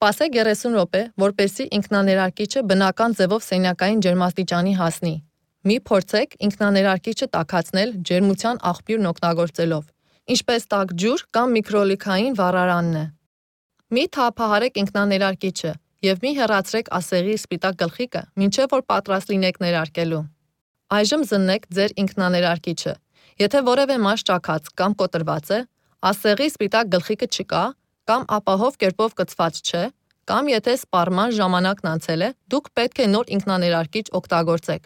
Սպասեք 30 րոպե, որպեսզի ինքնաներարկիչը բնական ձևով սենյակային ջերմաստիճանի հասնի։ Մի փորձեք ինքնաներարկիչը տաքացնել ջերմության աղբյուրն օգտագործելով, ինչպես տաք ջուր կամ միկրոլիքային վառարանն է։ Մի թափահարեք ինքնաներարկիչը և մի հեռացրեք ասեղի սպիտակ գլխիկը, մինչև որ պատրաստ լինեք ներարկելու։ Այժմ զննեք ձեր ինքնաներարկիչը։ Եթե որևէ մաս ճաքած կամ կոտրված է, ասեղի սպիտակ գլխիկը չկա, կամ ապահով կերպով կցված չէ, կամ եթե սպառման ժամանակն անցել է, դուք պետք է նոր ինքնաներարկիչ օգտագործեք։